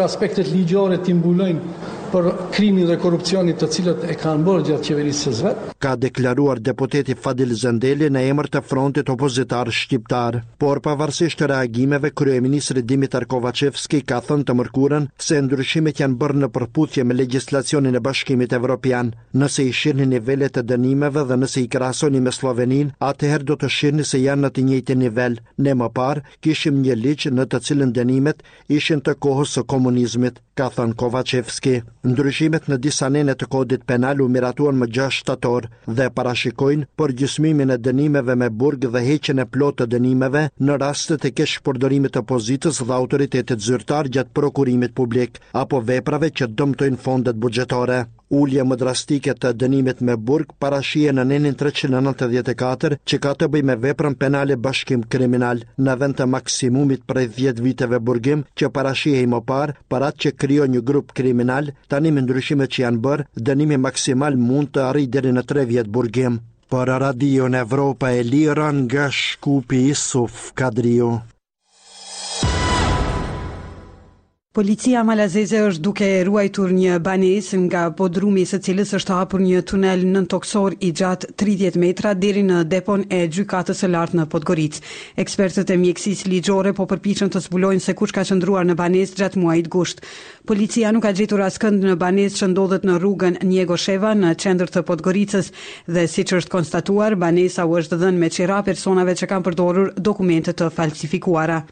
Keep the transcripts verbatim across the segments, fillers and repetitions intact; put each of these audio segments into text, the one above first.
Aspektet ligjore t'i mbulojnë për krimin dhe korrupsionin të cilët e kanë bërë gjatë qeverisë së vet. Ka deklaruar deputeti Fadil Zendeli në emër të frontit opozitar shqiptar. Por pavarësisht reagimeve, kryeministri Dimitar Kovaçevski ka thënë të mërkurën se ndryshimet janë bërë në përputhje me legjislacionin e Bashkimit Evropian. Nëse i shihni nivelet e dënimeve dhe nëse i krahasoni me Sloveninë, atëherë do të shihni se janë në të njëjtin nivel. Ne më parë kishim një ligj në të cilën dënimet ishin të kohës së komunizmit, ka thënë Kovaçevski. Ndryshimet në disa nene të kodit penal u miratuan më gjashtë shtator dhe parashikojnë përgjysmimin e dënimeve me burg dhe heqjen e plotë të dënimeve në rastet e keqpërdorimit të pozitës dhe autoritetit zyrtar gjatë prokurimit publik apo veprave që dëmtojnë fondet buxhetore. Ulje më drastike të dënimit me burg parashihen në nenin treqind e nëntëdhjetë e katër që ka të bëjë me veprën penale bashkim kriminal, në vend të maksimumit prej dhjetë viteve burgim që parashihej më parë për atë që krijon një grup kriminal, tani me ndryshimet që janë bërë, dënimi maksimal mund të arrijë deri në tre vjet burgim. Për Radion Evropa e Lira nga Shkupi, Isuf Kadriu. Policia malazeze është duke ruajtur një banesë nga bodrumi i së cilës është hapur një tunel nëntoksor i gjatë tridhjetë metra deri në depon e gjykatës së lartë në Podgoricë. Ekspertët e mjekësisë ligjore po përpiqen të zbulojnë se kush ka qëndruar në banesë gjatë muajit gusht. Policia nuk ka gjetur askënd në banesë që ndodhet në rrugën Njegosheva në qendër të Podgoricës dhe siç është konstatuar, banesa u është dhënë me qira personave që kanë përdorur dokumente të falsifikuara.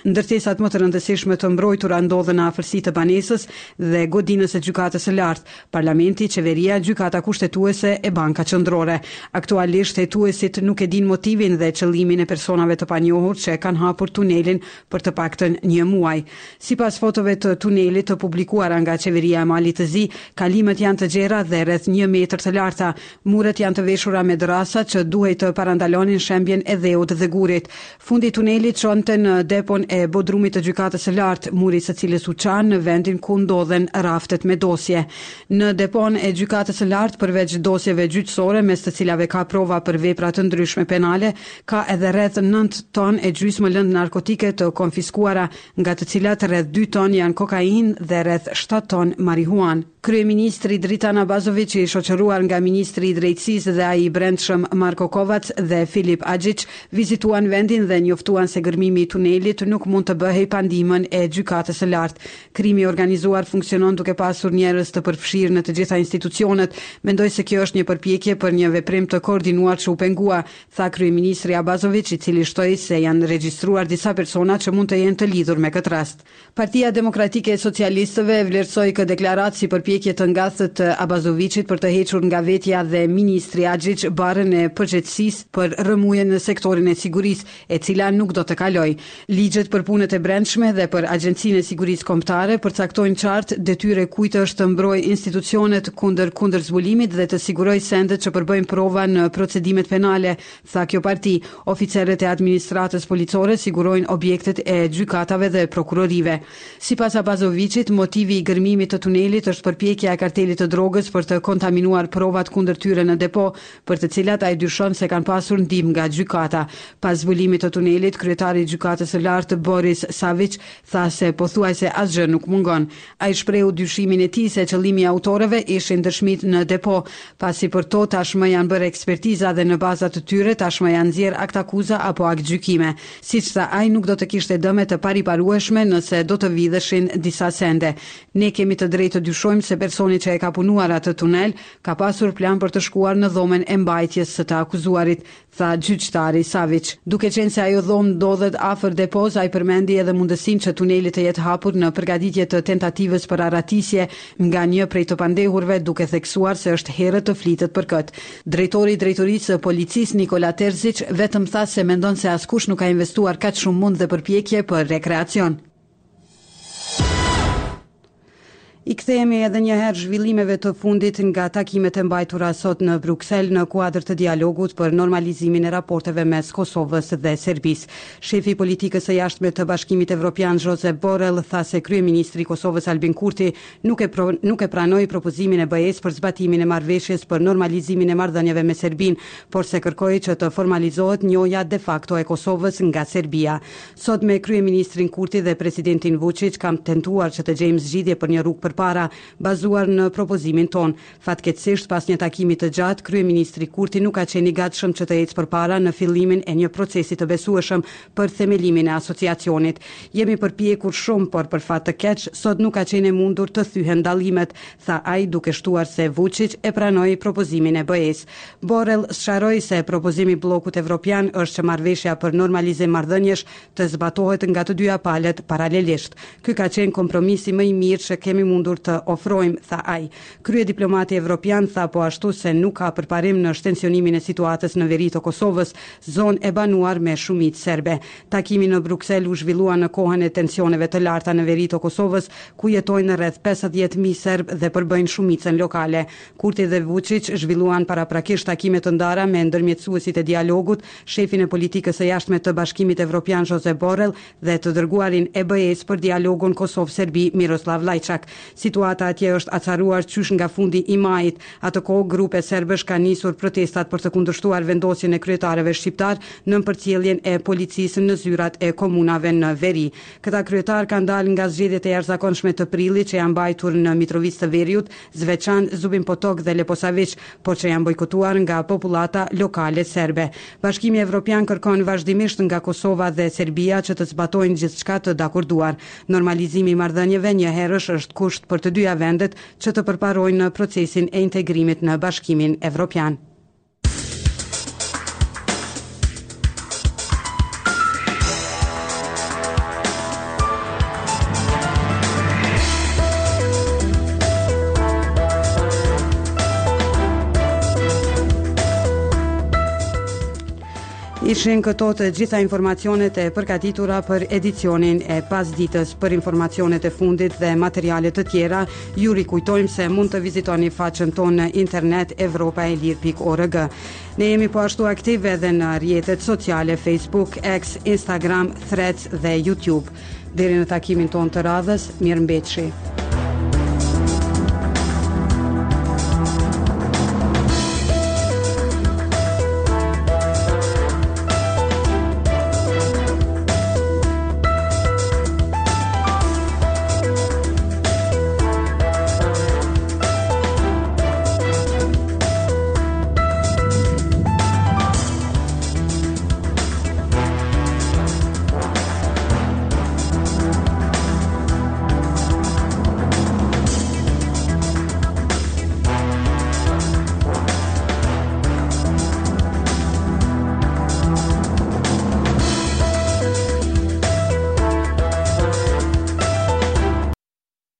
Ndërtesat më të rëndësishme të mbrojtura ndodhen në afërsi të banesës dhe godinës së gjykatës së lartë, parlamenti, qeveria, gjykata kushtetuese e banka qendrore. Aktualisht hetuesit nuk e dinë motivin dhe qëllimin e personave të panjohur që e kanë hapur tunelin për të paktën një muaj. Sipas fotove të tunelit të publikuara nga qeveria e Malit të Zi, kalimet janë të gjera dhe rreth një metër të larta. Muret janë të veshura me dërrasa që duhej të parandalonin shembjen e dheut dhe gurit. Fundi i tunelit çonte në depon e bodrumit të gjykatës së lartë, muri së cilës u qa në vendin ku ndodhen raftet me dosje. Në depon e gjykatës së lartë, përveç dosjeve gjyqësore, mes të cilave ka prova për vepra të ndryshme penale, ka edhe rreth nëntë ton e gjysmë lëndë narkotike të konfiskuara, nga të cilat rreth dy ton janë kokainë dhe rreth shtatë ton marihuanë. Kryeministri Dritan Abazović, i shoqëruar nga ministri i Drejtësisë dhe ai i Brendshëm Marko Kovac dhe Filip Axhić, vizituan vendin dhe njoftuan se gërmimi i tunelit nuk mund të bëhej pa ndihmën e gjykatës së lartë. Krimi i organizuar funksionon duke pasur njerëz të përfshirë në të gjitha institucionet. Mendoj se kjo është një përpjekje për një veprim të koordinuar që u pengua, tha kryeministri Abazović, i cili shtoi se janë regjistruar disa persona që mund të jenë të lidhur me këtë rast. Partia Demokratike e Socialistëve vlerësoi këtë deklaratë si përpjekje të ngathët të Abazovićit për të hequr nga vetja dhe ministri Axhić barrën e përgjegjësisë për rrëmujën në sektorin e sigurisë, e cila nuk do të kalojë. Ligjet për punët e brendshme dhe për Agjencinë e Sigurisë Kombëtare përcaktojnë qartë detyrë kujt është të mbrojë institucionet kundër kundërzbulimit dhe të sigurojë sendet që përbëjnë prova në procedimet penale, tha kjo parti. Oficerët e administratës policore sigurojnë objektet e gjykatave dhe prokurorive. Sipas Abazovićit, motivi i gërmimit të tunelit është përpjekja e kartelit të drogës për të kontaminuar provat kundër tyre në depo, për të cilat ai dyshon se kanë pasur ndihmë nga gjykata. Pas zbulimit të tunelit, kryetari i gjykatës së lartë Boris Savić tha se pothuajse asgjë nuk mungon. Ai shprehu dyshimin e tij se qëllimi i autorëve ishin dëshmit në depo, pasi për to tashmë janë bërë ekspertiza dhe në baza të tyre tashmë janë nxjerr aktakuza apo aktgjykime. Siç tha ai, nuk do të kishte dëme të pariparueshme nëse do të vidheshin disa sende. Ne kemi të drejtë të dyshojmë se personi që e ka punuar atë tunel ka pasur plan për të shkuar në dhomën e mbajtjes së të akuzuarit, tha gjyqtari Savić. Duke qenë se ajo dhomë ndodhet afër depos, ai përmendi edhe mundësinë që tuneli të jetë hapur në përgatitje të tentativës për arratisje nga një prej të pandehurve, duke theksuar se është herët të flitet për këtë. Drejtori i drejtorisë së policisë Nikola Terzic vetëm tha se mendon se askush nuk ka investuar kaq shumë mund dhe përpjekje për rekreacion. I kthehemi edhe një herë zhvillimeve të fundit nga takimet e mbajtura sot në Bruksel në kuadër të dialogut për normalizimin e raporteve mes Kosovës dhe Serbisë. Shefi i politikës së jashtme të Bashkimit Evropian Josep Borrell tha se kryeministri i Kosovës Albin Kurti nuk e pro, nuk e pranoi propozimin e B E-s për zbatimin e marrëveshjes për normalizimin e marrëdhënieve me Serbinë, por se kërkoi që të formalizohet njohja de facto e Kosovës nga Serbia. Sot me kryeministrin Kurti dhe presidentin Vučić kam tentuar që të gjejmë zgjidhje për një rrugë përpara, bazuar në propozimin tonë. Fatkeqësisht, pas një takimi të gjatë, kryeministri Kurti nuk ka qenë i gatshëm që të ecë përpara në fillimin e një procesi të besueshëm për themelimin e asociacionit. Jemi përpjekur shumë, por për fat të keq, sot nuk ka qenë e mundur të thyhen dallimet, tha ai, duke shtuar se Vučić e pranoi propozimin e B E-s. Borrell sqaroi se propozimi i bllokut evropian është që marrëveshja për normalizim marrëdhëniesh të zbatohet nga të dyja palët paralelisht. Ky ka qenë kompromisi më i mirë që kemi mundur të ofrojmë, tha ai. Kryediplomati evropian tha po ashtu se nuk ka përparim në shtensionimin e situatës në veri të Kosovës, zonë e banuar me shumicë serbe. Takimi në Bruksel u zhvillua në kohën e tensioneve të larta në veri të Kosovës, ku jetojnë rreth pesëdhjetë mijë serb dhe përbëjnë shumicën lokale. Kurti dhe Vučić zhvilluan paraprakisht takime të ndara me ndërmjetësuesit e dialogut, shefin e politikës së jashtme të Bashkimit Evropian Josep Borrell dhe të dërguarin e B E-s për dialogun Kosovë-Serbi Miroslav Lajçak. Situata atje është acaruar qysh nga fundi i majit. Atë kohë grupe serbësh kanë nisur protestat për të kundërshtuar vendosjen e kryetarëve shqiptar në përcjelljen e policisë në zyrat e komunave në veri. Këta kryetar kanë dalë nga zgjedhjet e jashtëzakonshme të prillit që janë mbajtur në Mitrovicë të Veriut, Zveçan, Zubin Potok dhe Leposavic, por që janë bojkotuar nga popullata lokale serbe. Bashkimi Evropian kërkon vazhdimisht nga Kosova dhe Serbia që të zbatojnë gjithçka të dakorduar. Normalizimi i marrëdhënieve njëherësh është kusht për të dyja vendet që të përparojnë në procesin e integrimit në Bashkimin Evropian. Ishin këto të gjitha informacionet e përgatitura për edicionin e pasditës. Për informacionet e fundit dhe materiale të tjera, ju rikujtojmë se mund të vizitoni faqen tonë në internet evropaelir pikë org. Ne jemi po ashtu aktive edhe në rrjetet sociale Facebook, X, Instagram, Threads dhe YouTube. Deri në takimin tonë të radhës, mirë mbetshi.